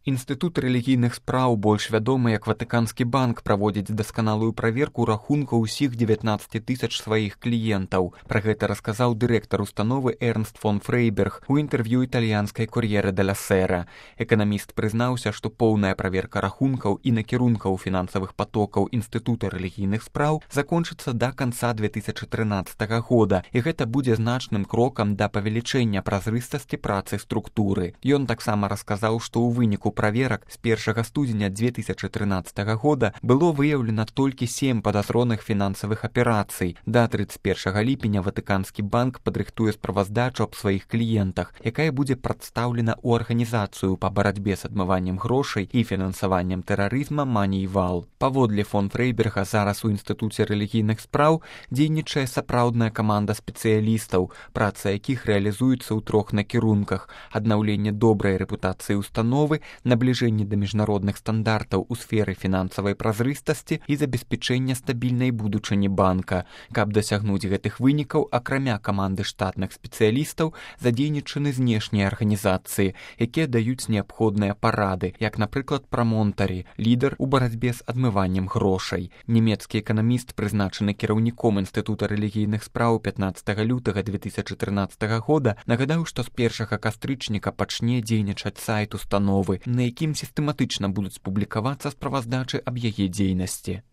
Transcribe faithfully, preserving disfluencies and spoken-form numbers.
Інстытут рэлігійных спраў, больш вядомы як Ватыканскі банк, праводзіць дасканалую праверку рахункаў усіх дзевятнаццаці тысяч сваіх кліентаў. Пра гэта расказаў дырэктар установы Эрнст фон Фрейберг у інтэрв'ю італьянскай Корьере деля Сера. Эканаміст прызнаўся, што поўная праверка рахункаў і накірункаў фінансавых патокаў Інстытута рэлігійных спраў закончыцца да канца две тысячы трынаццатага года, і гэта будзе значным крокам да павелічэння празрыстасці працы структуры. Ён таксама расказаў, што ў выніку праверак з першага студзеня две тысячы трынаццатага года было выяўлена толькі сем падазроных фінансавых аперацый. Да трыццаць першага ліпеня Ватыканскі банк падрыхтуе справаздачу аб сваіх кліентах, якая будзе прадстаўлена ў арганізацыю па барацьбе з адмываннем грошай і фінансаваннем тэрарызма Манейвал. Паводле фон Фрейберга, зараз у Інстытуце рэлігійных спраў дзейнічае сапраўдная каманда спецыялістаў, праца якіх рэалізуецца ў трох накірунках: аднаўленне добрай рэпутацыі установы, набліжэнне да міжнародных стандартаў у сферы фінансавай празрыстасці і забеспячэння стабільнай будучыні банка. Каб дасягнуць гэтых вынікаў, акрамя каманды штатных спецыялістаў, задзейнічаны знешнія арганізацыі, якія даюць неабходныя парады, як, напрыклад, прамонтарі, лідар у барацьбе з адмываннем грошай. Нямецкі эканаміст, прызначаны кіраўніком Інстытута рэлігійных спраў пятнаццатага лютага две тысячы трынаццатага года, нагадаў, што з першага кастрычніка пачне дзейнічаць сайт установы, на якім сістэматычна будуць публікавацца справаздачы аб яе дзейнасці.